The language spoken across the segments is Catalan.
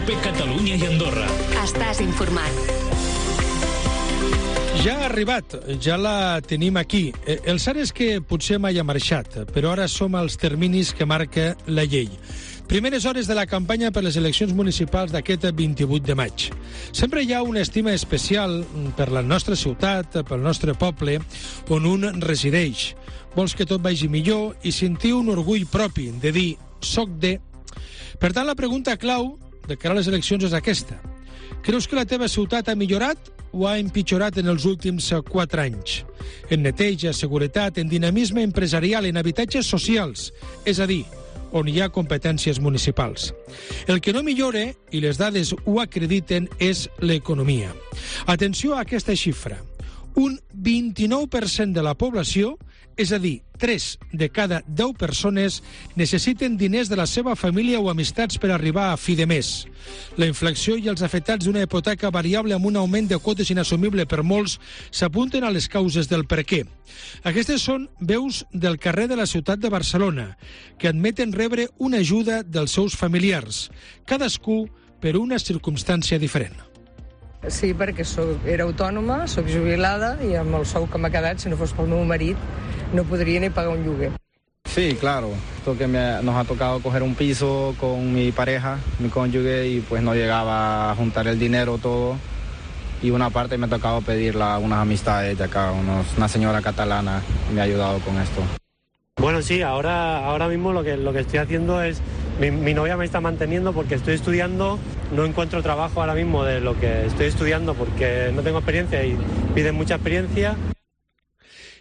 COPE Catalunya i Andorra. Estàs informat. Ja ha arribat, ja la tenim aquí. El cert és que potser mai ha marxat, però ara som als terminis que marca la llei. Primeres hores de la campanya per les eleccions municipals d'aquest 28 de maig. Sempre hi ha una estima especial per la nostra ciutat, pel nostre poble, on un resideix. Vols que tot vagi millor i sentir un orgull propi de dir «soc de». Per tant, la pregunta clau de cara a les eleccions és aquesta. Creus que la teva ciutat ha millorat o ha empitjorat en els últims 4 anys? En neteja, seguretat, en dinamisme empresarial, en habitatges socials, és a dir, on hi ha competències municipals. El que no millora, i les dades ho acrediten, és l'economia. Atenció a aquesta xifra. Un 29% de la població, és a dir, 3 de cada 10 persones, necessiten diners de la seva família o amistats per arribar a fi de mes. La inflació i els afectats d'una hipoteca variable amb un augment de quotes inassumible per molts s'apunten a les causes del per què. Aquestes són veus del carrer de la ciutat de Barcelona, que admeten rebre una ajuda dels seus familiars, cadascú per una circumstància diferent. Sí, perquè era autònoma, soc jubilada i amb el sou que m'ha quedat, si no fos pel meu marit, no podria ni pagar un lloguer. Sí, claro. Esto que nos ha tocado coger un piso con mi pareja, mi cónyuge, y pues no llegaba a juntar el dinero todo. Y una parte me ha tocado pedirle a unas amistades de acá, una señora catalana me ha ayudado con esto. Bueno, sí, ahora mismo lo que estoy haciendo es... Mi novia me está manteniendo porque estoy estudiando, no encuentro trabajo ahora mismo de lo que estoy estudiando porque no tengo experiencia y piden mucha experiencia.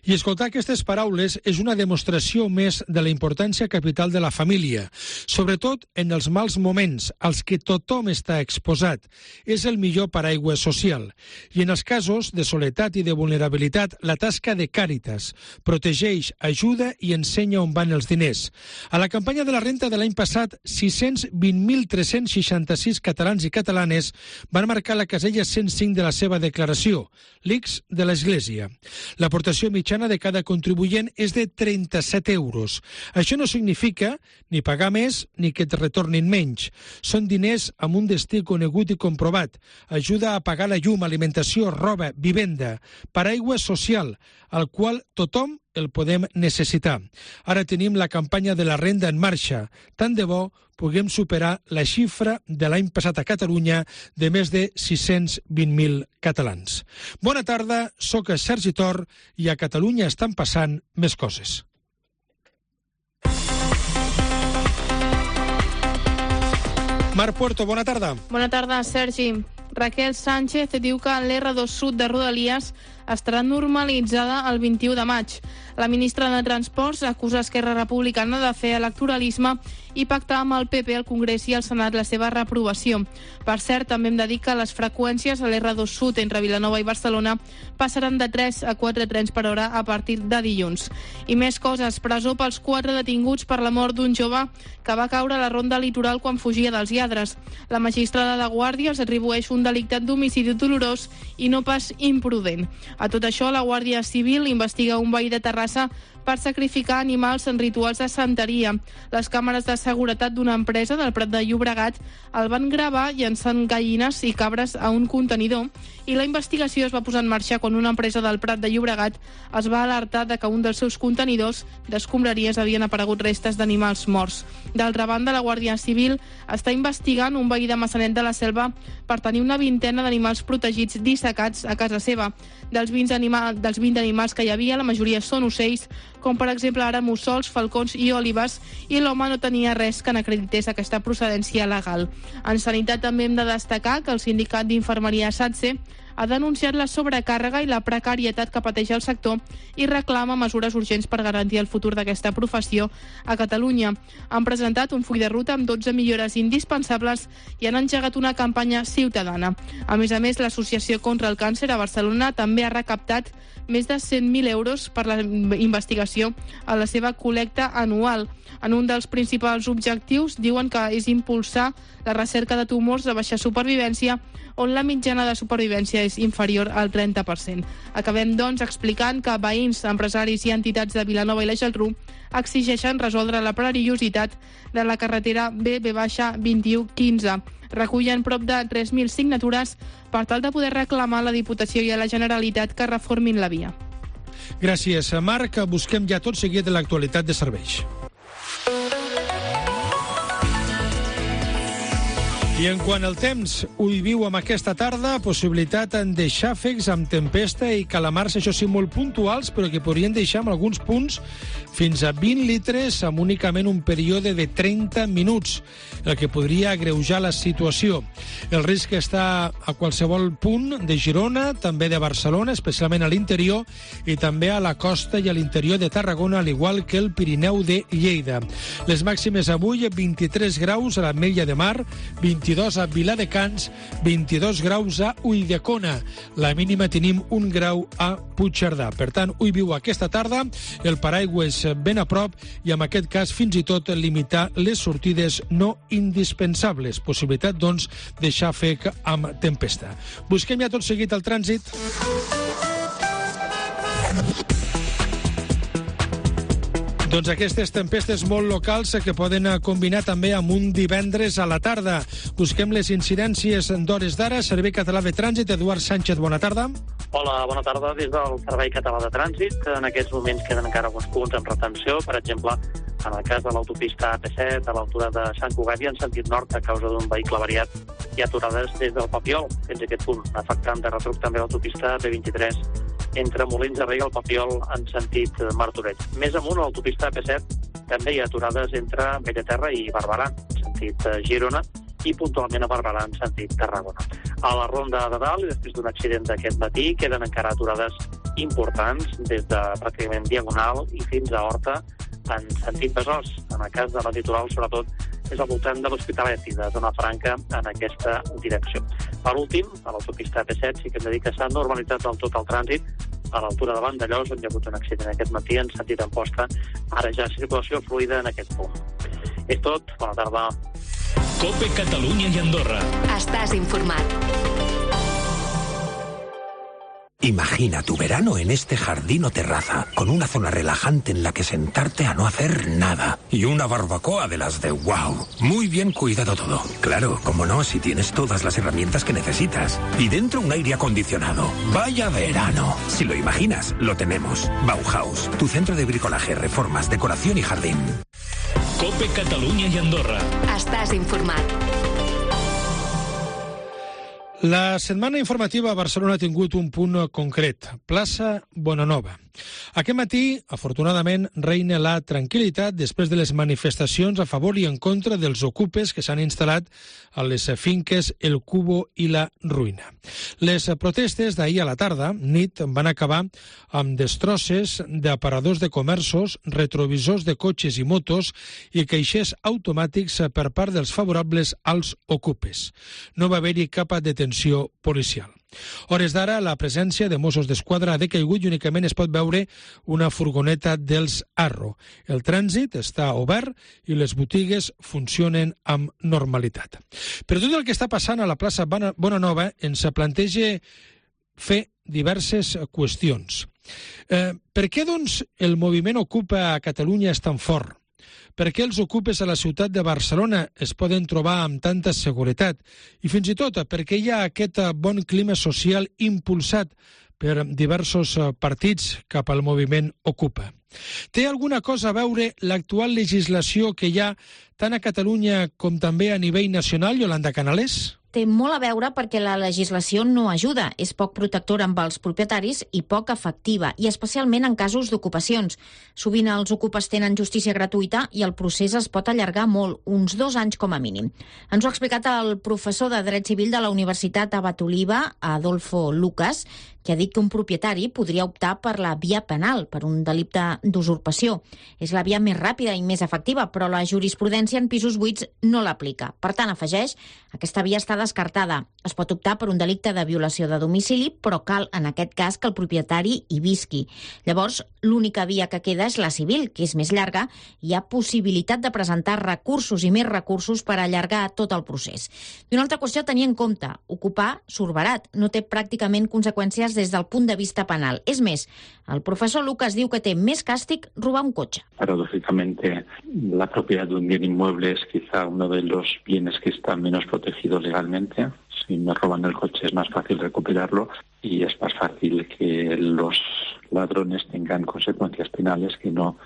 I escoltar aquestes paraules és una demostració més de la importància capital de la família, sobretot en els mals moments, als que tothom està exposat. És el millor paraigua social. I en els casos de soledat i de vulnerabilitat, la tasca de Càritas protegeix, ajuda i ensenya on van els diners. A la campanya de la renta de l'any passat, 620.366 catalans i catalanes van marcar la casella 105 de la seva declaració, l'X de l'Església. L'aportació mitjana de cada contribuent és de 37 euros. Això no significa ni pagar més ni que et retornin menys. Són diners amb un destí conegut i comprovat. Ajuda a pagar la llum, alimentació, roba, vivenda, paraigua social, al qual tothom el podem necessitar. Ara tenim la campanya de la renda en marxa. Tant de bo puguem superar la xifra de l'any passat a Catalunya de més de 620.000 catalans. Bona tarda, sóc Sergi Tor i a Catalunya estan passant més coses. Marc Puerto, bona tarda. Bona tarda, Sergi. Raquel Sánchez diu que l'R2 Sud de Rodalies estarà normalitzada el 21 de maig. La ministra de Transports acusa Esquerra Republicana de fer electoralisme i pactar amb el PP al Congrés i al Senat la seva reprovació. Per cert, també hem de dir que les freqüències a l'R2 Sud entre Vilanova i Barcelona passaran de 3 a 4 trens per hora a partir de dilluns. I més coses, presó pels 4 detinguts per la mort d'un jove que va caure a la ronda litoral quan fugia dels lladres. La magistrada de Guàrdia els atribueix un delicte d'homicidi dolorós i no pas imprudent. A tot això, la Guàrdia Civil investiga un veí de Terrassa per sacrificar animals en rituals de santeria. Les càmeres de seguretat d'una empresa del Prat de Llobregat el van gravar llançant gallines i cabres a un contenidor i la investigació es va posar en marxa quan una empresa del Prat de Llobregat es va alertar de que un dels seus contenidors d'escombraries havien aparegut restes d'animals morts. D'altra banda, la Guàrdia Civil està investigant un veí de Maçanet de la Selva per tenir una vintena d'animals protegits dissecats a casa seva. Dels 20 animals que hi havia, la majoria són ocells, com per exemple ara mussols, falcons i òlibes, i l'home no tenia res que n'acredités aquesta procedència legal. En sanitat també hem de destacar que el sindicat d'infermeria SATSE ha denunciat la sobrecàrrega i la precarietat que pateix el sector i reclama mesures urgents per garantir el futur d'aquesta professió a Catalunya. Han presentat un full de ruta amb 12 millores indispensables i han engegat una campanya ciutadana. A més, l'Associació contra el Càncer a Barcelona també ha recaptat més de 100.000 euros per la investigació a la seva col·lecta anual. En un dels principals objectius diuen que és impulsar la recerca de tumors de baixa supervivència, on la mitjana de supervivència és inferior al 30%. Acabem, doncs, explicant que veïns, empresaris i entitats de Vilanova i la Geltrú exigeixen resoldre la perillositat de la carretera B-2115. Recullen prop de 3.000 signatures per tal de poder reclamar a la Diputació i a la Generalitat que reformin la via. Gràcies, Marc. Busquem ja tot seguit de l'actualitat de serveis. I en quant al temps, ho viu amb aquesta tarda, possibilitat de xàfecs amb tempesta i calamars, això sí, molt puntuals, però que podrien deixar en alguns punts fins a 20 litres amb únicament un període de 30 minuts, el que podria agreujar la situació. El risc està a qualsevol punt de Girona, també de Barcelona, especialment a l'interior, i també a la costa i a l'interior de Tarragona, al igual que el Pirineu de Lleida. Les màximes avui, 23 graus a l'Ametlla de Mar, 22 a Viladecans, 22 graus a Ulldecona. La mínima tenim 1 grau a Puigcerdà. Per tant, ho viu aquesta tarda, el paraigües ben a prop i en aquest cas fins i tot limitar les sortides no indispensables. Possibilitat, doncs, de xàfec amb tempesta. Busquem ja tot seguit el trànsit. Doncs aquestes tempestes molt locals que poden combinar també amb un divendres a la tarda. Busquem les incidències d'hores d'ara. Servei Català de Trànsit, Eduard Sánchez, bona tarda. Hola, bona tarda. Des del Servei Català de Trànsit, en aquests moments queden encara alguns punts en retenció. Per exemple, en el cas de l'autopista AP7, a l'altura de Sant Cugat i en sentit nord, a causa d'un vehicle avariat, hi ha aturades des del Papiol fins a aquest punt, afectant de retruc també l'autopista AP23 entre Molins de Rei i el Papiol en sentit Martorell. Més amunt, a l'autopista AP7 també hi ha aturades entre Bellaterra i Barberà, en sentit Girona, i puntualment a Barberà, en sentit Tarragona. A la Ronda de Dalt, i després d'un accident d'aquest matí, queden encara aturades importants des de pràcticament Diagonal i fins a Horta, en sentit Besòs. En el cas de la litoral, sobretot, és al voltant de l'Hospitalet i de Zona Franca en aquesta direcció. Per últim, a l'autopista AP7 sí que hem de dir que s'ha normalitzat del tot el trànsit a l'altura de Vandellòs, on hi ha hagut un accident aquest matí en sentit Amposta. Ara ja circulació fluida en aquest punt. És tot. Bona tarda. COPE Catalunya i Andorra. Estàs informat. Imagina tu verano en este jardín o terraza, con una zona relajante en la que sentarte a no hacer nada. Y una barbacoa de las de wow. Muy bien cuidado todo. Claro, como no, si tienes todas las herramientas que necesitas. Y dentro un aire acondicionado. ¡Vaya verano! Si lo imaginas, lo tenemos. Bauhaus, tu centro de bricolaje, reformas, decoración y jardín. COPE Catalunya i Andorra. Estàs informat. La setmana informativa a Barcelona ha tingut un punt concret, plaça Bonanova. Aquest matí, afortunadament, reina la tranquil·litat després de les manifestacions a favor i en contra dels ocupes que s'han instal·lat a les finques El Cubo i la Ruïna. Les protestes d'ahir a la tarda, nit, van acabar amb destrosses d'aparadors de comerços, retrovisors de cotxes i motos i caixers automàtics per part dels favorables als ocupes. No va haver-hi cap detenció policial. Hores d'ara, la presència de Mossos d'Esquadra ha decaigut i únicament es pot veure una furgoneta dels Arro. El trànsit està obert i les botigues funcionen amb normalitat. Però tot el que està passant a la plaça Bonanova ens planteja fer diverses qüestions. Per què, doncs, el moviment Ocupa a Catalunya és tan fort? Per què els ocupes a la ciutat de Barcelona es poden trobar amb tanta seguretat? I fins i tot, per què hi ha aquest bon clima social impulsat per diversos partits cap al moviment Ocupa? Té alguna cosa a veure l'actual legislació que hi ha tant a Catalunya com també a nivell nacional, Yolanda Canales? Té molt a veure perquè la legislació no ajuda, és poc protectora amb els propietaris i poc efectiva, i especialment en casos d'ocupacions. Sovint els ocupes tenen justícia gratuïta i el procés es pot allargar molt, uns 2 anys com a mínim. Ens ho ha explicat el professor de Dret Civil de la Universitat Abat Oliba, Adolfo Lucas, que ha dit que un propietari podria optar per la via penal, per un delicte d'usurpació. És la via més ràpida i més efectiva, però la jurisprudència en pisos buits no l'aplica. Per tant, afegeix, aquesta via està descartada. Es pot optar per un delicte de violació de domicili, però cal, en aquest cas, que el propietari hi visqui. Llavors, l'única via que queda és la civil, que és més llarga, i hi ha possibilitat de presentar recursos i més recursos per allargar tot el procés. I una altra qüestió a tenir en compte, ocupar surt barat, no té pràcticament conseqüències des del punt de vista penal. És més, el profesor Lucas diu que té més càstig robar un cotxe. Paradójicamente, la propiedad de un bien inmueble es quizá uno de los bienes que está menos protegido legalmente. Si me roban el coche es más fácil recuperarlo y es más fácil que los ladrones tengan consecuencias penales que no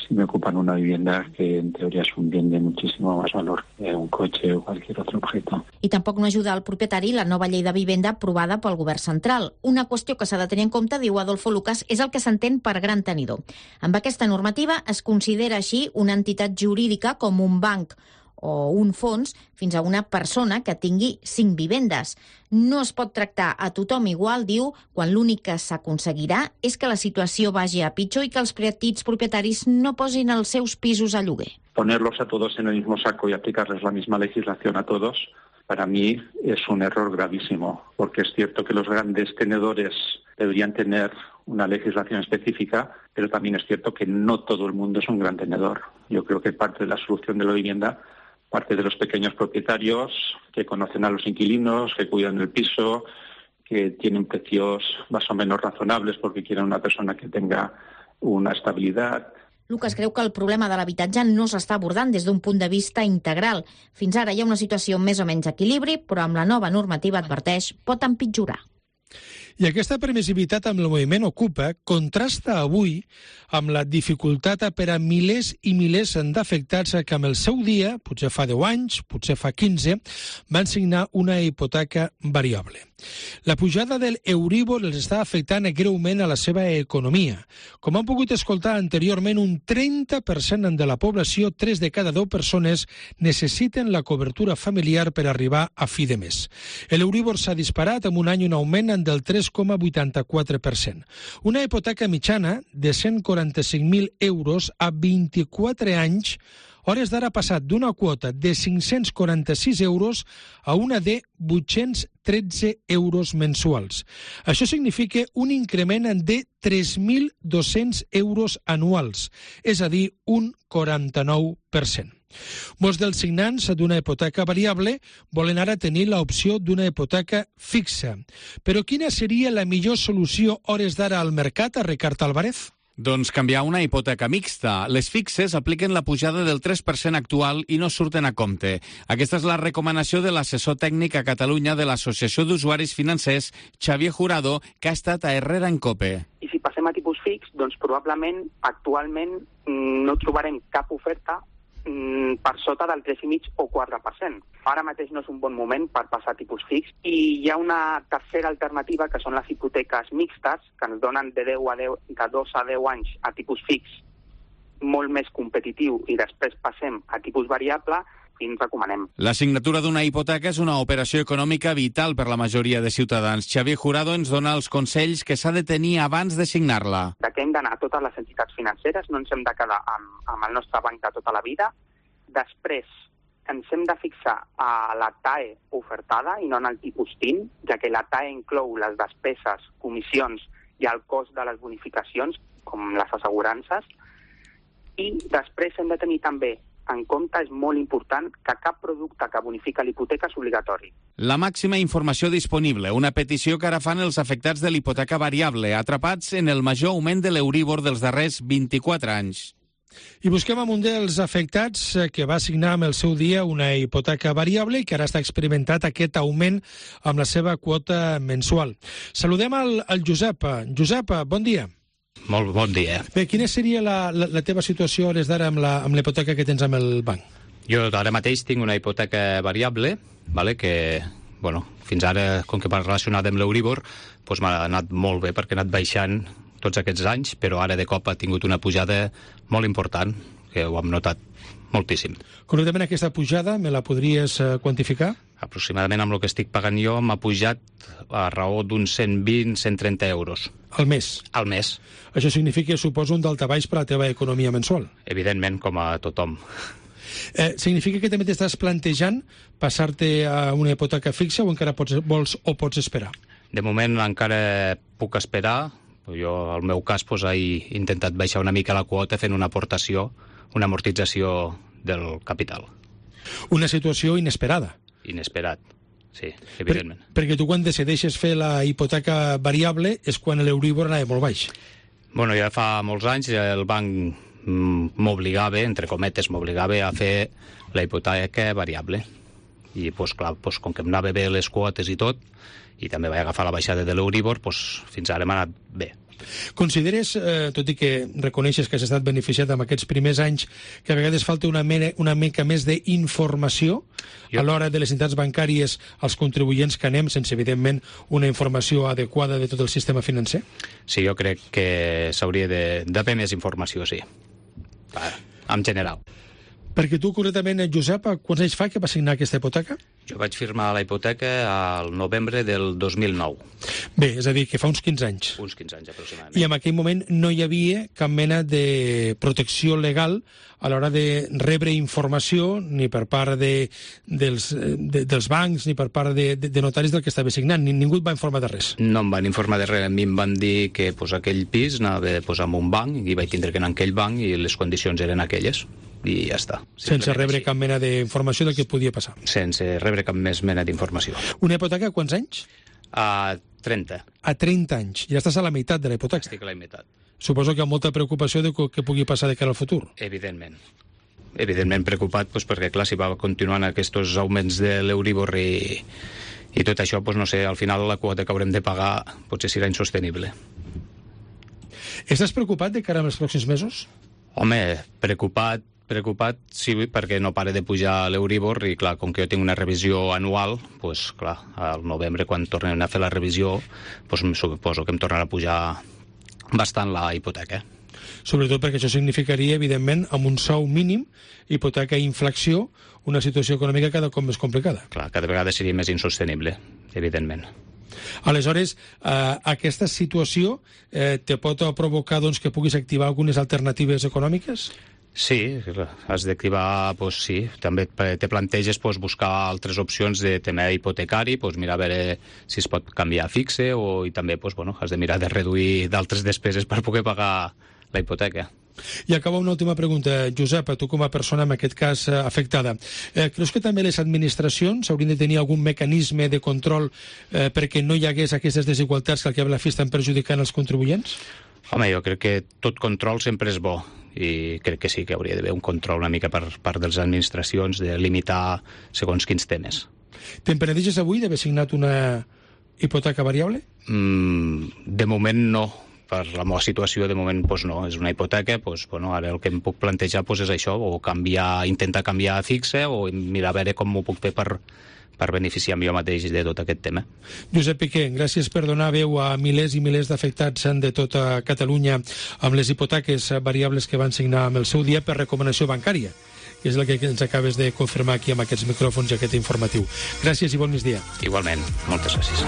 si me ocupan una vivienda que en teoría es un bien de muchísimo más valor que un coche o cualquier otro objeto. I tampoc no ajuda al propietari la nova llei de vivenda aprovada pel govern central. Una qüestió que s'ha de tenir en compte, diu Adolfo Lucas, és el que s'entén per gran tenidor. Amb aquesta normativa es considera així una entitat jurídica com un banc o un fons fins a una persona que tingui 5 vivendes. No es pot tractar a tothom igual, diu, quan l'únic que s'aconseguirà és que la situació vagi a pitjor i que els petits propietaris no posin els seus pisos a lloguer. Ponerlos a todos en el mismo saco y aplicarles la misma legislación a todos, para mí es un error gravísimo, porque es cierto que los grandes tenedores deberían tener una legislación específica, pero también es cierto que no todo el mundo es un gran tenedor. Yo creo que parte de la solución de la vivienda parte de los pequeños propietarios que conocen a los inquilinos, que cuidan el piso, que tienen precios más o menos razonables porque quieren una persona que tenga una estabilidad. Lucas creu que el problema de l'habitatge no s'està abordant des d'un punt de vista integral. Fins ara hi ha una situació més o menys equilibri, però amb la nova normativa, adverteix, pot empitjorar. I aquesta permissivitat amb el moviment Ocupa contrasta avui amb la dificultat per a milers i milers d'afectats que amb el seu dia, potser fa 10 anys, potser fa 15, van signar una hipoteca variable. La pujada del Euríbor els està afectant greument a la seva economia. Com han pogut escoltar anteriorment, un 30% de la població, 3 de cada 10 persones, necessiten la cobertura familiar per arribar a fi de mes. L'Euríbor s'ha disparat amb un any un augment del 3,84%. Una hipoteca mitjana de 145.000 euros a 24 anys, hores d'ara ha passat d'una quota de 546 euros a una de 813 euros mensuals. Això significa un increment de 3.200 euros anuals, és a dir, un 49%. Molts dels signants d'una hipoteca variable volen ara tenir l'opció d'una hipoteca fixa. Però quina seria la millor solució hores d'ara al mercat, a Ricard Álvarez? Doncs canviar una hipoteca mixta. Les fixes apliquen la pujada del 3% actual i no surten a compte. Aquesta és la recomanació de l'assessor tècnic a Catalunya de l'Associació d'Usuaris Financers, Xavier Jurado, que ha estat a Herrera en Cope. I si passem a tipus fix, doncs probablement actualment no trobarem cap oferta per sota del 3,5 o 4%. Ara mateix no és un bon moment per passar a tipus fix i hi ha una tercera alternativa que són les hipoteques mixtes que ens donen de 2 a 10 anys a tipus fix molt més competitiu i després passem a tipus variable i ens recomanem. La signatura d'una hipoteca és una operació econòmica vital per la majoria de ciutadans. Xavier Jurado ens dona els consells que s'ha de tenir abans de signar-la. De què hem d'anar a totes les entitats financeres, no ens hem de quedar amb el nostre banc de tota la vida. Després ens hem de fixar a la TAE ofertada i no en el tipus TIN, ja que la TAE inclou les despeses, comissions i el cost de les bonificacions, com les assegurances. I després hem de tenir també en compte, és molt important, que cap producte que bonifica l'hipoteca és obligatori. La màxima informació disponible, una petició que ara fan els afectats de l'hipoteca variable, atrapats en el major augment de l'Euríbor dels darrers 24 anys. I busquem amb un dels afectats que va signar amb el seu dia una hipoteca variable i que ara està experimentat aquest augment amb la seva quota mensual. Saludem al Josep. Josep, bon dia. Molt bon dia. Bé, quina seria la teva situació a hores d'ara amb la hipoteca que tens amb el banc? Jo ara mateix tinc una hipoteca variable, vale, que fins ara, com que va relacionada amb l'Euríbor, doncs m'ha anat molt bé perquè ha anat baixant tots aquests anys, però ara de cop ha tingut una pujada molt important, que ho hem notat moltíssim. Concretament aquesta pujada, me la podries quantificar? Aproximadament amb el que estic pagant jo m'ha pujat a raó d'uns 120-130 euros. Al mes? Al mes. Això significa, suposo, un daltabaix per a la teva economia mensual? Evidentment, com a tothom. Significa que també t'estàs plantejant passar-te a una hipoteca fixa o encara pots esperar? De moment encara puc esperar. Jo, al meu cas, he intentat baixar una mica la quota fent una aportació, una amortització del capital. Una situació inesperada. Inesperat, sí, evidentment. Perquè tu quan decideixes fer la hipoteca variable és quan l'Euríbor anava molt baix. Bueno, ja fa molts anys el banc m'obligava, entre cometes, a fer la hipoteca variable. I, clar, com que em anava bé les quotes i tot, i també vaig agafar la baixada de l'Euríbor, fins ara m'ha anat bé. Consideres, tot i que reconeixes que has estat beneficiat amb aquests primers anys, que a vegades falta una mica més d'informació a l'hora de les entitats bancàries als contribuents que anem, sense, evidentment, una informació adequada de tot el sistema financer? Sí, jo crec que s'hauria d'haver més informació, sí. En general. Perquè tu, concretament, Josep, quants anys fa que vas signar aquesta hipoteca? Jo vaig firmar la hipoteca al novembre del 2009. Bé, és a dir, que fa uns 15 anys. Uns 15 anys, aproximadament. I en aquell moment no hi havia cap mena de protecció legal a l'hora de rebre informació ni per part dels bancs ni per part de notaris del que estava signant. Ningú et va informar de res. No em van informar de res. A mi em van dir que aquell pis anava a posar en un banc i vaig tindre que anar en aquell banc i les condicions eren aquelles. I ja està. Sense rebre cap mena d'informació del que podia passar. Sense rebre cap més mena d'informació. Una hipoteca a quants anys? A 30. A 30 anys. Ja estàs a la meitat de la hipoteca. Estic a la meitat. Suposo que amb molta preocupació de què pugui passar de cara al futur. Evidentment. Evidentment preocupat, perquè clar, si va continuant aquests augments de l'Euríbor i tot això, no sé, al final la quota que haurem de pagar potser serà insostenible. Estàs preocupat de cara als pròxims mesos? Home, preocupat sí, perquè no para de pujar l'Euríbor i, clar, com que jo tinc una revisió anual, clar, al novembre, quan tornem a fer la revisió, suposo que em tornarà a pujar bastant la hipoteca. Sobretot perquè això significaria, evidentment, amb un sou mínim, hipoteca i inflació, una situació econòmica cada cop més complicada. Clar, cada vegada seria més insostenible, evidentment. Aleshores, aquesta situació te pot provocar que puguis activar algunes alternatives econòmiques? Sí, has d'activar, sí. També te planteges buscar altres opcions de tema hipotecari, mirar a veure si es pot canviar a fixe i també has de mirar de reduir d'altres despeses per poder pagar la hipoteca. I acaba una última pregunta. Josep, tu com a persona, en aquest cas, afectada, creus que també les administracions haurien de tenir algun mecanisme de control perquè no hi hagués aquestes desigualtats que al cap i a la fi estan perjudicant els contribuents? Home, jo crec que tot control sempre és bo i crec que sí que hauria d'haver un control una mica per part de les administracions de limitar segons quins temes. Te'n penedeixes avui d'haver signat una hipoteca variable? De moment no. Per la meva situació, de moment, no. És una hipoteca, ara el que em puc plantejar és això, o intentar canviar a fixe, o mirar a veure com m'ho puc fer per beneficiar-me jo mateix de tot aquest tema. Josep Piqué, gràcies per donar veu a milers i milers d'afectats de tota Catalunya amb les hipoteques variables que van signar amb el seu dia per recomanació bancària, que és el que ens acabes de confirmar aquí amb aquests micròfons i aquest informatiu. Gràcies i bon migdia. Igualment, moltes gràcies.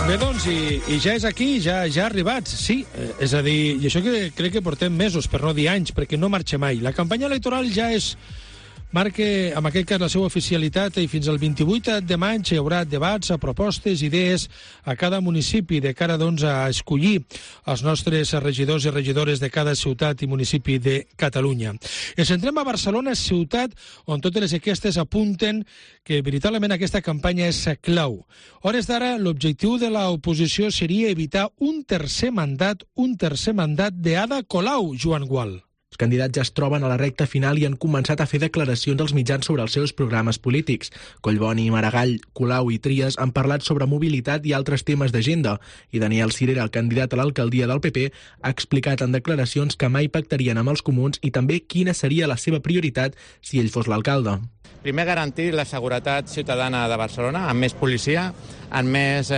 Bé, doncs, i ja és aquí, ja ha arribat, sí. És a dir, i això que crec que portem mesos, per no dir anys, perquè no marxa mai. La campanya electoral ja marca, en aquest cas, la seva oficialitat i fins al 28 de maig hi haurà debats, propostes, idees a cada municipi de cara, doncs, a escollir els nostres regidors i regidores de cada ciutat i municipi de Catalunya. Ens centrem a Barcelona, ciutat on totes les enquestes apunten que veritablement aquesta campanya és clau. A hores d'ara, l'objectiu de l'oposició seria evitar un tercer mandat d'Ada Colau, Joan Gual. Els candidats ja es troben a la recta final i han començat a fer declaracions als mitjans sobre els seus programes polítics. Collboni, Maragall, Colau i Trias han parlat sobre mobilitat i altres temes d'agenda, i Daniel Sirera, el candidat a l'alcaldia del PP, ha explicat en declaracions que mai pactarien amb els comuns i també quina seria la seva prioritat si ell fos l'alcalde. Primer, garantir la seguretat ciutadana de Barcelona, amb més policia, amb més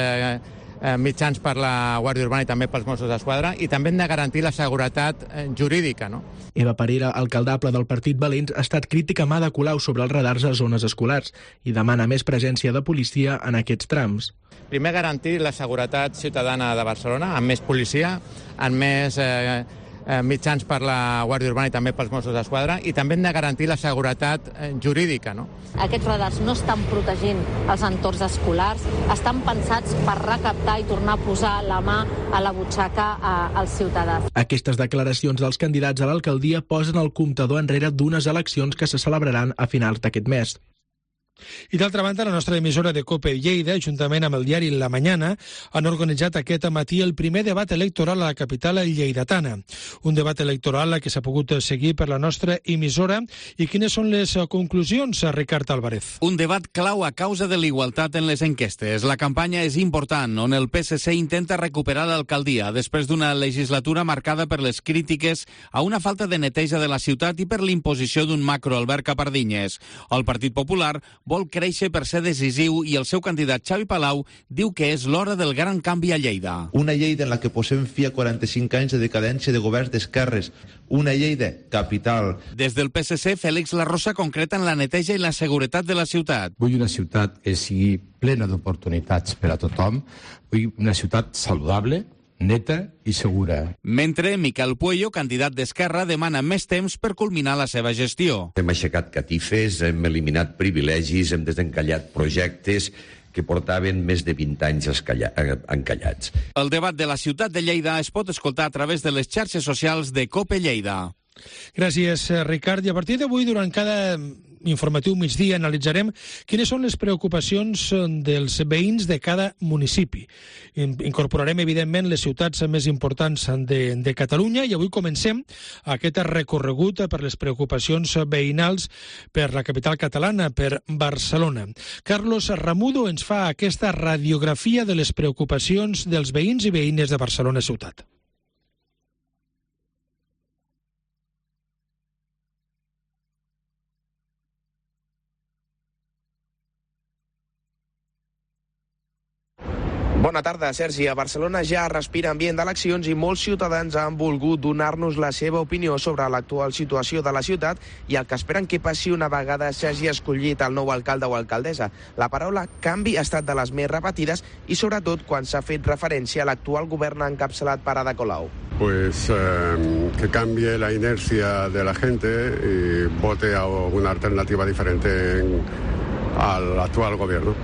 mitjans per la Guàrdia Urbana i també pels Mossos d'Esquadra, i també hem de garantir la seguretat jurídica, no? Eva Parera, alcaldable del Partit Valents, ha estat crítica amb Ada Colau sobre els radars a zones escolars i demana més presència de policia en aquests trams. Primer, garantir la seguretat ciutadana de Barcelona, amb més policia, amb més mitjans per la Guàrdia Urbana i també pels Mossos d'Esquadra, i també hem de garantir la seguretat jurídica, no? Aquests radars no estan protegint els entorns escolars, estan pensats per recaptar i tornar a posar la mà a la butxaca als ciutadans. Aquestes declaracions dels candidats a l'alcaldia posen el comptador enrere d'unes eleccions que se celebraran a finals d'aquest mes. I d'altra banda, la nostra emissora de COPE Lleida, juntament amb el diari La Mañana, han organitzat aquest matí el primer debat electoral a la capital lleidatana. Un debat electoral que s'ha pogut seguir per la nostra emissora. I quines són les conclusions, Ricard Álvarez? Un debat clau a causa de l'igualtat en les enquestes. La campanya és important, on el PSC intenta recuperar l'alcaldia després d'una legislatura marcada per les crítiques a una falta de neteja de la ciutat i per l'imposició d'un macro Albert Capardinyes. El Partit Popular vol créixer per ser decisiu i el seu candidat Xavi Palau diu que és l'hora del gran canvi a Lleida. Una Lleida en la que posem fi a 45 anys de decadència de governs d'esquerres. Una Lleida capital. Des del PSC, Félix Larrosa concreta en la neteja i la seguretat de la ciutat. Vull una ciutat que sigui plena d'oportunitats per a tothom. Vull una ciutat saludable, neta i segura. Mentre Miquel Puello, candidat d'Esquerra, demana més temps per culminar la seva gestió. Hem aixecat catifes, hem eliminat privilegis, hem desencallat projectes que portaven més de 20 anys encallats. El debat de la ciutat de Lleida es pot escoltar a través de les xarxes socials de COPE Lleida. Gràcies, Ricard. I a partir d'avui, durant cada informatiu migdia, analitzarem quines són les preocupacions dels veïns de cada municipi. Incorporarem, evidentment, les ciutats més importants de Catalunya i avui comencem aquest recorregut per les preocupacions veïnals per la capital catalana, per Barcelona. Carlos Ramudo ens fa aquesta radiografia de les preocupacions dels veïns i veïnes de Barcelona ciutat. Bona tarda, Sergi. A Barcelona ja respira ambient d'eleccions i molts ciutadans han volgut donar-nos la seva opinió sobre l'actual situació de la ciutat i el que esperen que passi una vegada s'hagi escollit el nou alcalde o alcaldessa. La paraula canvi ha estat de les més repetides i sobretot quan s'ha fet referència a l'actual govern encapçalat per Ada Colau. Pues que cambie la inercia de la gente y vote a una alternativa diferente al actual gobierno.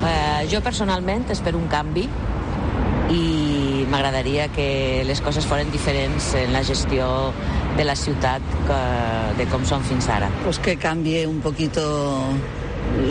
Jo personalment espero un canvi i m'agradaria que les coses foren diferents en la gestió de la ciutat de com són fins ara. Pues que cambie un poquito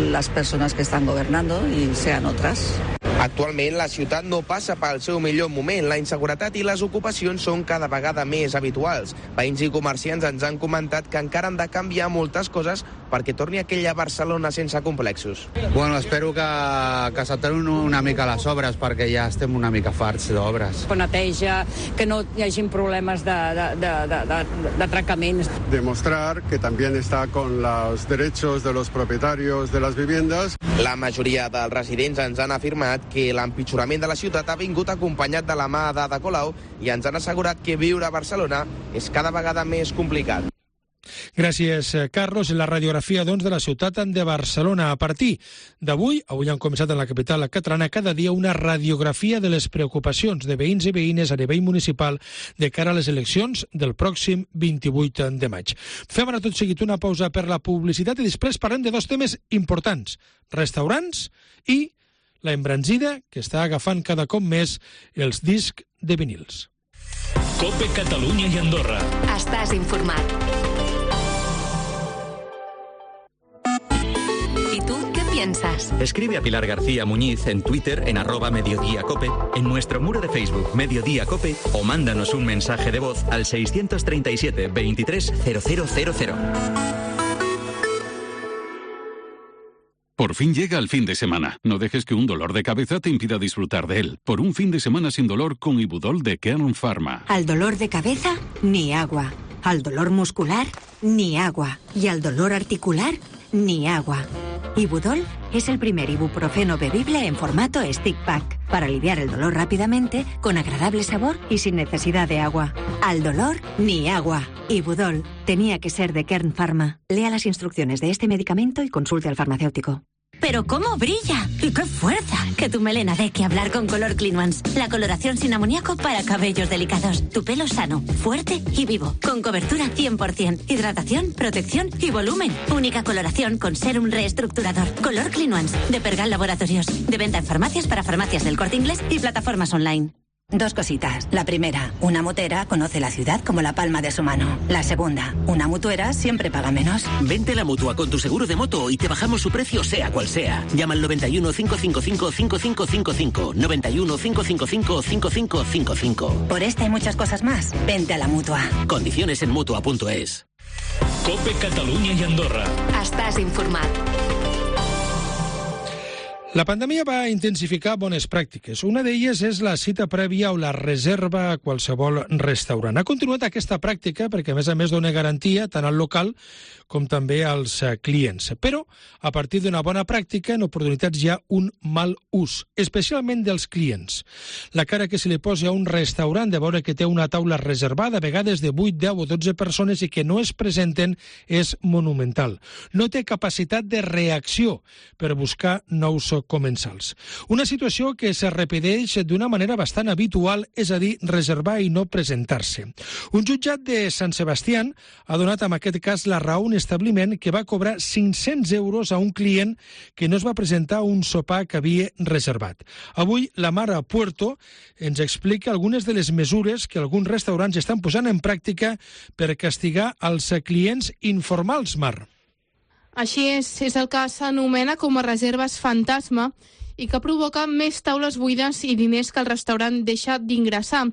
las personas que están gobernando y sean otras. Actualment, la ciutat no passa pel seu millor moment. La inseguretat i les ocupacions són cada vegada més habituals. Veïns i comerciants ens han comentat que encara han de canviar moltes coses perquè torni aquella Barcelona sense complexos. Bueno, espero que s'aturin una mica les obres perquè ja estem una mica farts d'obres. Neteja, que no hi hagin problemes d'atracaments. Demostrar que también está con los derechos de los propietarios de las viviendas. La majoria dels residents ens han afirmat que l'empitjorament de la ciutat ha vingut acompanyat de la mà d'Ada Colau i ens han assegurat que viure a Barcelona és cada vegada més complicat. Gràcies, Carlos. La radiografia, doncs, de la ciutat de Barcelona. A partir d'avui, avui han començat en la capital catalana, cada dia una radiografia de les preocupacions de veïns i veïnes a nivell municipal de cara a les eleccions del pròxim 28 de maig. Fem ara tot seguit una pausa per la publicitat i després parlem de dos temes importants: restaurants i la embranzida que està agafant cada cop més els discs de vinils. COPE Catalunya i Andorra. Estàs informat. ¿Y tú qué piensas? Escribe a Pilar García Muñiz en Twitter en @mediodíacope, en nuestro muro de Facebook Mediodía Cope o mándanos un mensaje de voz al 637 23 0000. Por fin llega el fin de semana. No dejes que un dolor de cabeza te impida disfrutar de él. Por un fin de semana sin dolor con Ibudol de Kern Pharma. Al dolor de cabeza, ni agua. Al dolor muscular, ni agua. Y al dolor articular, ni agua. Ibudol es el primer ibuprofeno bebible en formato stick pack para aliviar el dolor rápidamente, con agradable sabor y sin necesidad de agua. Al dolor, ni agua. Ibudol tenía que ser de Kern Pharma. Lea las instrucciones de este medicamento y consulte al farmacéutico. ¡Pero cómo brilla! ¡Y qué fuerza! Que tu melena dé que hablar con Color Clean Ones. La coloración sin amoníaco para cabellos delicados. Tu pelo sano, fuerte y vivo. Con cobertura 100%. Hidratación, protección y volumen. Única coloración con serum reestructurador. Color Clean Ones. De Pergal Laboratorios. De venta en farmacias para farmacias del Corte Inglés y plataformas online. Dos cositas. La primera, una motera conoce la ciudad como la palma de su mano. La segunda, una mutuera siempre paga menos. Vente a la Mutua con tu seguro de moto y te bajamos su precio sea cual sea. Llama al 91 555 5555. 91 555 5555. Por esta y muchas cosas más, vente a la Mutua. Condiciones en Mutua.es. Cope Catalunya i Andorra. Estàs informat. La pandèmia va intensificar bones pràctiques. Una d'elles és la cita prèvia o la reserva a qualsevol restaurant. Ha continuat aquesta pràctica perquè, a més, dona garantia tant al local com també als clients. Però, a partir d'una bona pràctica, en oportunitats hi ha un mal ús, especialment dels clients. La cara que se li posa a un restaurant de veure que té una taula reservada, a vegades de 8, 10 o 12 persones i que no es presenten, és monumental. No té capacitat de reacció per buscar nous comensals. Una situació que se repeteix d'una manera bastant habitual, és a dir, reservar i no presentar-se. Un jutjat de Sant Sebastián ha donat en aquest cas la raó a un establiment que va cobrar 500 euros a un client que no es va presentar a un sopar que havia reservat. Avui la Mara Puerto ens explica algunes de les mesures que alguns restaurants estan posant en pràctica per castigar els clients informals, Mar. Així és el que s'anomena com a reserves fantasma i que provoca més taules buides i diners que el restaurant deixa d'ingressar.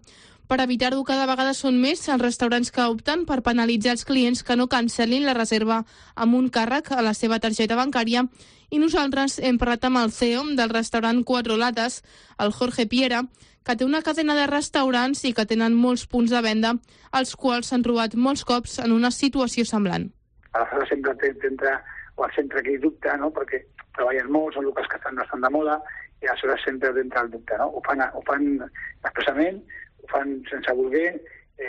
Per evitar-ho, cada vegada són més els restaurants que opten per penalitzar els clients que no cancel·lin la reserva amb un càrrec a la seva targeta bancària, i nosaltres hem parlat amb el CEO del restaurant Cuatro Latas, el Jorge Piera, que té una cadena de restaurants i que tenen molts punts de venda, als quals s'han trobat molts cops en una situació semblant. Aleshores sempre t'entra o el centre que hi dubta, no? Perquè treballen molt, són locals que estan bastant de moda, i aleshores sempre t'entra el dubte, no? Ho fan expressament, ho fan sense voler,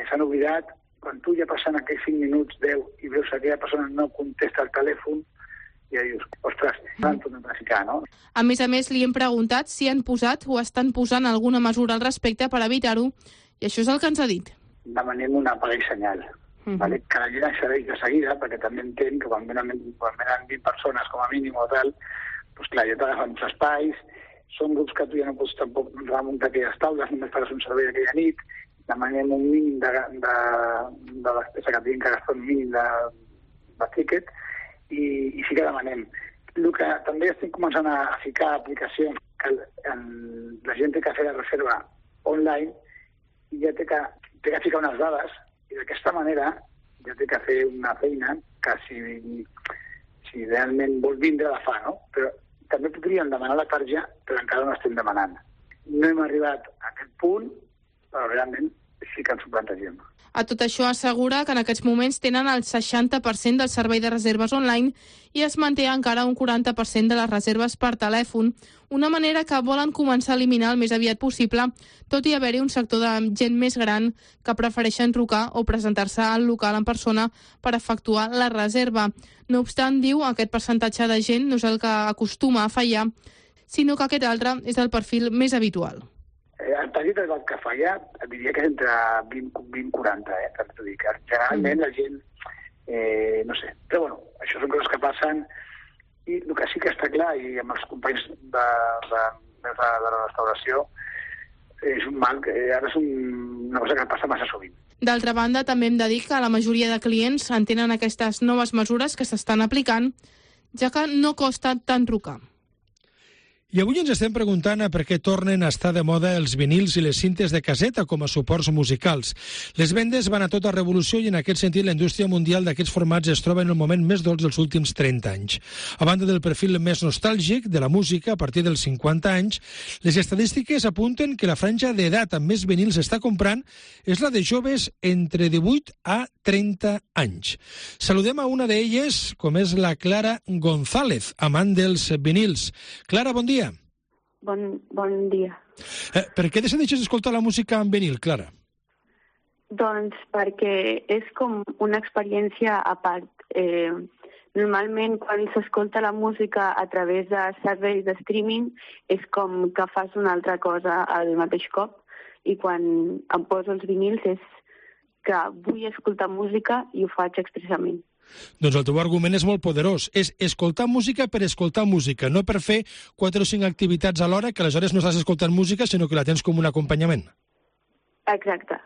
s'han oblidat. Quan tu ja passen aquells 5 minuts, 10, i veus que aquella persona no contesta el telèfon, ja dius, ostres, l'han tornat a ficar, no? A més, li hem preguntat si han posat o estan posant alguna mesura al respecte per evitar-ho, i això és el que ens ha dit. Demanem una paga i senyal. Vale? Que la gent accedeix de seguida, perquè també entenc que quan venen 20 persones com a mínim o tal, doncs clar, ja t'agafen uns espais, són grups que tu ja no pots tampoc remuntar aquelles taules, només faràs un servei aquella nit, demanem un mínim de despesa que tinguin que gastar un mínim de tiquet, i sí que demanem. El que també estem començant a ficar aplicacions que la gent té que fer la reserva online i ja té que ficar unes dades, i d'aquesta manera ja té que fer una feina que si realment vol vindre la fa, no? Però també podríem demanar la targeta, però encara no estem demanant. No hem arribat a aquest punt, però realment sí que ens ho plantegem. A tot això assegura que en aquests moments tenen el 60% del servei de reserves online i es manté encara un 40% de les reserves per telèfon, una manera que volen començar a eliminar el més aviat possible, tot i haver-hi un sector de gent més gran que prefereixen trucar o presentar-se al local en persona per efectuar la reserva. No obstant, diu, aquest percentatge de gent no és el que acostuma a fallar, sinó que aquest altre és el perfil més habitual. El targeta del que falla, diria que és entre 20 i 40, també t'ho dic. Generalment la gent, no sé, però bueno, això són coses que passen, i el que sí que està clar, i amb els companys de la restauració, és un mal, que ara és una cosa que passa massa sovint. D'altra banda, també hem de dir que la majoria de clients entenen aquestes noves mesures que s'estan aplicant, ja que no costa tant trucar. I avui ens estem preguntant per què tornen a estar de moda els vinils i les cintes de caseta com a suports musicals. Les vendes van a tota revolució i en aquest sentit la indústria mundial d'aquests formats es troba en el moment més dolç dels últims 30 anys. A banda del perfil més nostàlgic de la música a partir dels 50 anys, les estadístiques apunten que la franja d'edat amb més vinils està comprant és la de joves entre 18 a 30 anys. Saludem a una d'elles, com és la Clara González, amant dels vinils. Clara, bon dia. Bon dia. Per què decideixes escoltar la música en vinil, Clara? Doncs perquè és com una experiència a part. Normalment, quan s'escolta la música a través de serveis de streaming, és com que fas una altra cosa al mateix cop, i quan em poso els vinils és que vull escoltar música i ho faig expressament. Doncs el teu argument és molt poderós. És escoltar música per escoltar música, no per fer 4 o 5 activitats alhora que aleshores no estàs escoltant música, sinó que la tens com un acompanyament. Exacte.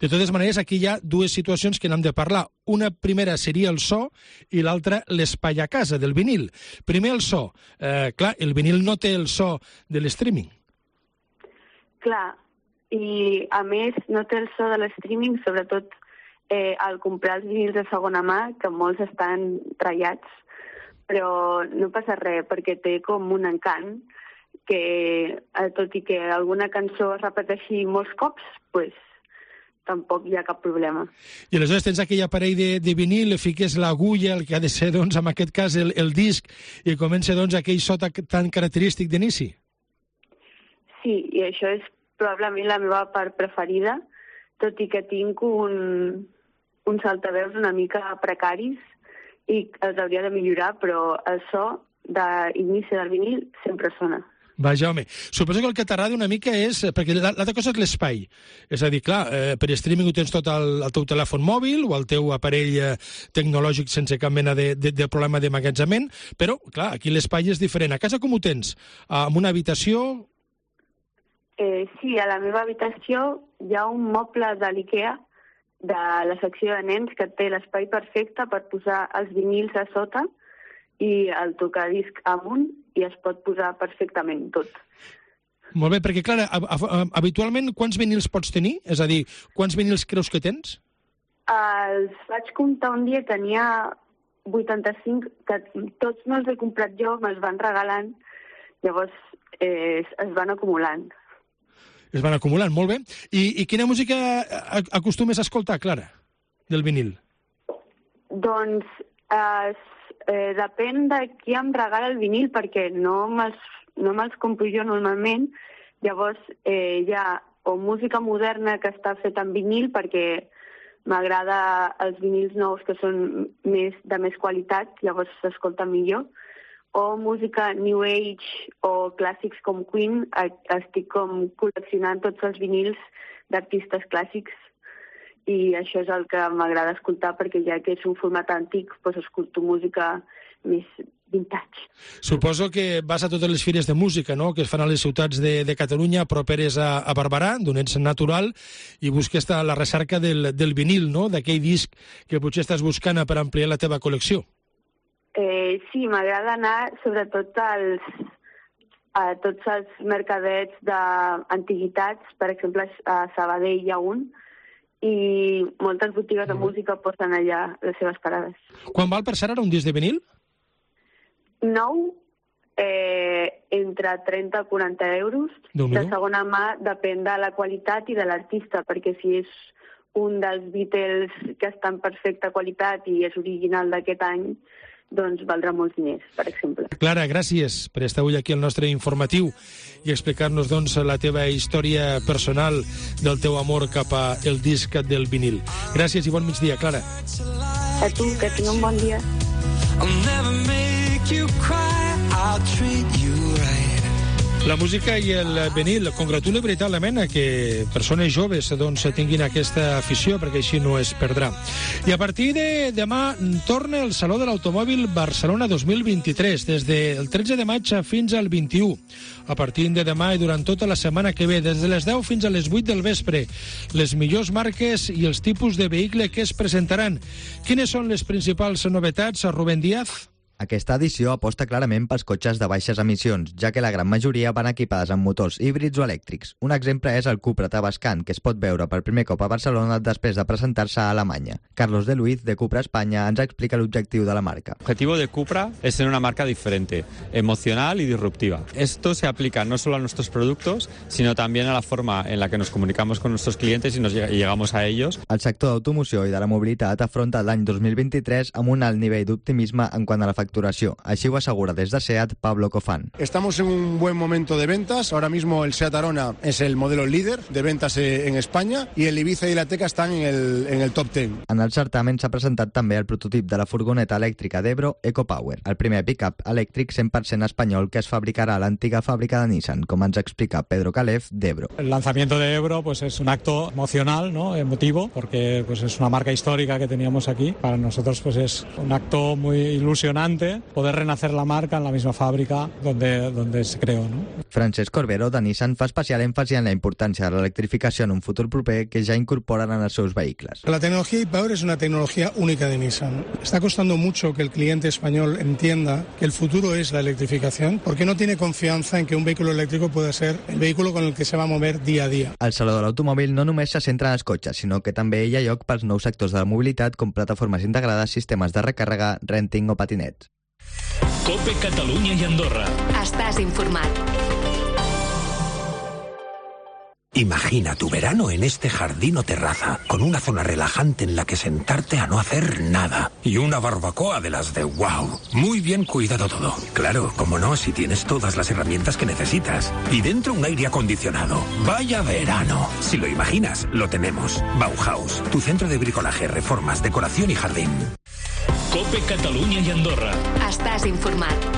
De totes maneres, aquí hi ha dues situacions que n'hem de parlar. Una primera seria el so i l'altra l'espai a casa del vinil. Primer el so. Clar, el vinil no té el so de l'streaming. Clar, i a més no té el so de l'streaming, sobretot al comprar els vinils de segona mà, que molts estan ratllats, però no passa res, perquè té com un encant que, tot i que alguna cançó es repeteixi molts cops, pues, tampoc hi ha cap problema. I aleshores tens aquell aparell de vinil, fiques l'agulla, el que ha de ser, doncs, en aquest cas, el disc, i comença, doncs, aquell so tan característic d'inici? Sí, i això és probablement la meva part preferida, tot i que tinc uns altaveus una mica precaris i els hauria de millorar, però el so d'inici del vinil sempre sona. Vaja, home, suposo que el que t'agrada una mica és... Perquè l'altra cosa és l'espai. És a dir, clar, per streaming ho tens tot al teu telèfon mòbil o al teu aparell tecnològic sense cap mena de problema d'emmagatzemament, però, clar, aquí l'espai és diferent. A casa com ho tens? En una habitació? Sí, a la meva habitació hi ha un moble de l'IKEA de la secció de nens que té l'espai perfecte per posar els vinils a sota i el tocadisc amunt i es pot posar perfectament tot. Molt bé, perquè, clar, habitualment quants vinils pots tenir? És a dir, quants vinils creus que tens? Els vaig comptar un dia, tenia 85, que tots no els he comprat jo, me'ls van regalant, llavors es van acumulant. Es van acumulant, molt bé. I quina música acostumes a escoltar, Clara, del vinil? Doncs depèn de qui em regala el vinil, perquè no me'ls compro jo normalment. Llavors hi ha o música moderna que està feta en vinil, perquè m'agrada els vinils nous que són de més qualitat, llavors s'escolta millor, o música New Age o clàssics com Queen. Estic com col·leccionant tots els vinils d'artistes clàssics i això és el que m'agrada escoltar, perquè ja que és un format antic, doncs escolto música més vintage. Suposo que vas a totes les fires de música, no?, que es fan a les ciutats de Catalunya properes a Barberà, d'on ets natural, i busques la recerca del vinil, no?, d'aquell disc que potser estàs buscant per ampliar la teva col·lecció. Sí, m'agrada anar sobretot a tots els mercadets d'antiguitats, per exemple a Sabadell hi ha un, i moltes botigues de música posen allà les seves parades. Quan val per ser ara un disc de vinil? Nou, entre 30 i 40 euros. De segona mà depèn de la qualitat i de l'artista, perquè si és un dels Beatles que està en perfecta qualitat i és original d'aquest any, doncs valdrà molts diners, per exemple. Clara, gràcies per estar avui aquí al nostre informatiu i explicar-nos, doncs, la teva història personal del teu amor cap al disc del vinil. Gràcies i bon migdia, Clara. A tu, que tinc un bon dia. La música i el vinil congratula veritablement a que persones joves doncs, tinguin aquesta afició, perquè així no es perdrà. I a partir de demà torna el Saló de l'Automòbil Barcelona 2023, des del 13 de maig fins al 21. A partir de demà i durant tota la setmana que ve, des de les 10 fins a les 8 del vespre, les millors marques i els tipus de vehicle que es presentaran. Quines són les principals novetats, Rubén Díaz? Aquesta edició aposta clarament pels cotxes de baixes emissions, ja que la gran majoria van equipades amb motors híbrids o elèctrics. Un exemple és el Cupra Tabascan, que es pot veure per primer cop a Barcelona després de presentar-se a Alemanya. Carlos de Luiz, de Cupra España, ens explica l'objectiu de la marca. El objetivo de Cupra es ser una marca diferente, emocional y disruptiva. Esto se aplica no solo a nuestros productos, sino también a la forma en la que nos comunicamos con nuestros clientes y llegamos a ellos. El sector d'automoció i de la mobilitat afronta l'any 2023 amb un alt nivell d'optimisme en quant a la facturació. Així ho assegura des de SEAT Pablo Cofán. Estamos en un buen momento de ventas. Ahora mismo el SEAT Arona es el modelo líder de ventas en España y el Ibiza y la Teca están en el top 10. En el certamen s'ha presentat també el prototip de la furgoneta elèctrica d'Ebro EcoPower, el primer pick-up elèctric 100% espanyol que es fabricarà a l'antiga fàbrica de Nissan, com ens explica Pedro Calef, d'Ebro. El lanzamiento de Ebro pues es un acto emocional, ¿no? Emotivo, porque pues es una marca histórica que teníamos aquí. Para nosotros pues es un acto muy ilusionante poder renacer la marca en la misma fábrica donde se creó, ¿no? Francesc Corbero, de Nissan, fa especial èmfasi en la importància de l'electrificació en un futur proper que ja incorporen en els seus vehicles. La tecnología e-Power es una tecnología única de Nissan. Está costando mucho que el cliente español entienda que el futuro es la electrificación, porque no tiene confianza en que un vehículo eléctrico pueda ser el vehículo con el que se va a mover día a día. El Saló de l'Automòbil no només se centra en els cotxes, sinó que també hi ha lloc pels nous sectors de la mobilitat com plataformes integrades, sistemes de recàrrega, renting o patinets. COPE Catalunya i Andorra. Estàs informat. Imagina tu verano en este jardín o terraza, con una zona relajante en la que sentarte a no hacer nada. Y una barbacoa de las de wow. Muy bien cuidado todo. Claro, como no, si tienes todas las herramientas que necesitas. Y dentro un aire acondicionado. ¡Vaya verano! Si lo imaginas, lo tenemos. Bauhaus, tu centro de bricolaje, reformas, decoración y jardín. COPE Catalunya i Andorra. Estàs informat.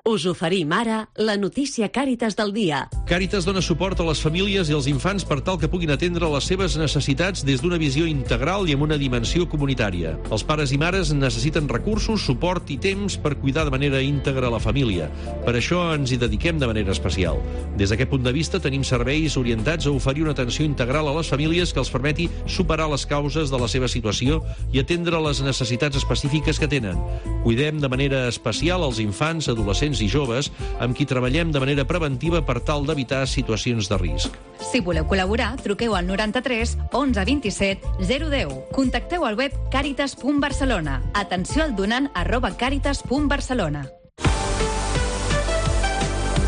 Us oferim ara la notícia Càritas del dia. Càritas dona suport a les famílies i als infants per tal que puguin atendre les seves necessitats des d'una visió integral i amb una dimensió comunitària. Els pares i mares necessiten recursos, suport i temps per cuidar de manera íntegra la família. Per això ens hi dediquem de manera especial. Des d'aquest punt de vista tenim serveis orientats a oferir una atenció integral a les famílies que els permeti superar les causes de la seva situació i atendre les necessitats específiques que tenen. Cuidem de manera especial als infants, adolescents i joves amb qui treballem de manera preventiva per tal d'evitar situacions de risc. Si voleu col·laborar, truqueu al 93 11 27 010. Contacteu al web caritas.barcelona. Atenció al donant @caritas.barcelona.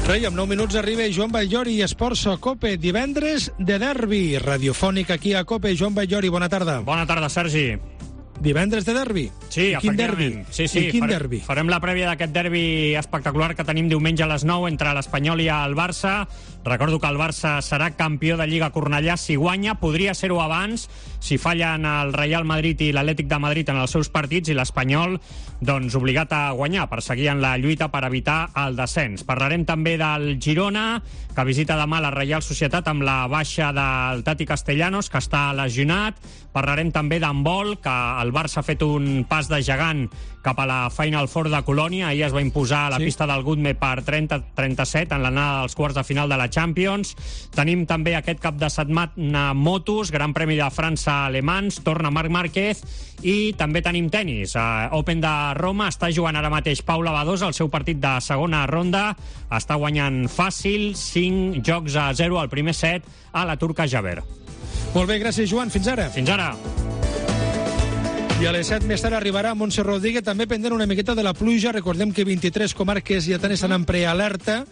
Rei, amb 9 minuts arriba Joan Batllori i Esports a COPE. Divendres de derbi radiofònic aquí a COPE. Joan Batllori, bona tarda. Bona tarda, Sergi. Divendres de derbi? Sí, quin derbi? Sí, quin derbi? Farem la prèvia d'aquest derbi espectacular que tenim diumenge a les 9 entre l'Espanyol i el Barça. Recordo que el Barça serà campió de Lliga Cornellà si guanya. Podria ser-ho abans si fallen el Real Madrid i l'Atlètic de Madrid en els seus partits i l'Espanyol doncs obligat a guanyar per seguir en la lluita per evitar el descens. Parlarem també del Girona, que visita demà la Reial Societat amb la baixa del Tati Castellanos, que està lesionat. Parlarem també d'handbol, que el Barça ha fet un pas de gegant cap a la Final Four de Colònia. Ahir es va imposar a la pista del Gutme per 30-37 en l'anada dels quarts de final de la Champions. Tenim també aquest cap de setmana motos, Gran Premi de França alemans, torna Marc Márquez, i també tenim tenis. Open de Roma, està jugant ara mateix Paula Badosa el seu partit de segona ronda, està guanyant fàcil, 5 jocs a 0 al primer set a la turca Javer. Molt bé, gràcies, Joan. Fins ara. Fins ara. I a les 7 més tard arribarà Montse Rodríguez, també pendent una miqueta de la pluja. Recordem que 23 comarques ja estan en prealerta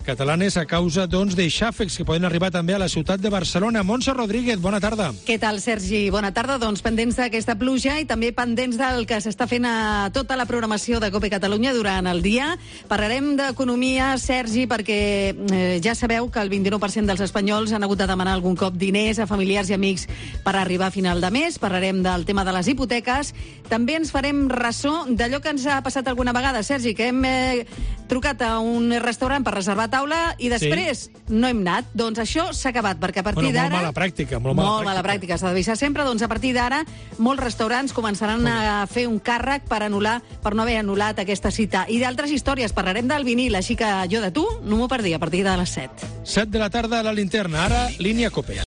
catalanes a causa, doncs, de xàfecs que poden arribar també a la ciutat de Barcelona. Montse Rodríguez, bona tarda. Què tal, Sergi? Bona tarda. Doncs pendents d'aquesta pluja i també pendents del que s'està fent a tota la programació de COPE Catalunya durant el dia. Parlarem d'economia, Sergi, perquè ja sabeu que el 29% dels espanyols han hagut de demanar algun cop diners a familiars i amics per arribar a final de mes. Parlarem del tema de les hipoteques. També ens farem ressò d'allò que ens ha passat alguna vegada, Sergi, que hem trucat a un restaurant per reservar taula i després no hem anat. Doncs això s'ha acabat, perquè a partir d'ara... Molt mala pràctica, molt mala pràctica, s'ha d'avisar sempre. Doncs a partir d'ara molts restaurants començaran a fer un càrrec per anul·lar, per no haver anul·lat aquesta cita. I d'altres històries, parlarem del vinil, així que jo de tu no m'ho perdia a partir de les 7. 7 de la tarda a la linterna, ara línia COPE.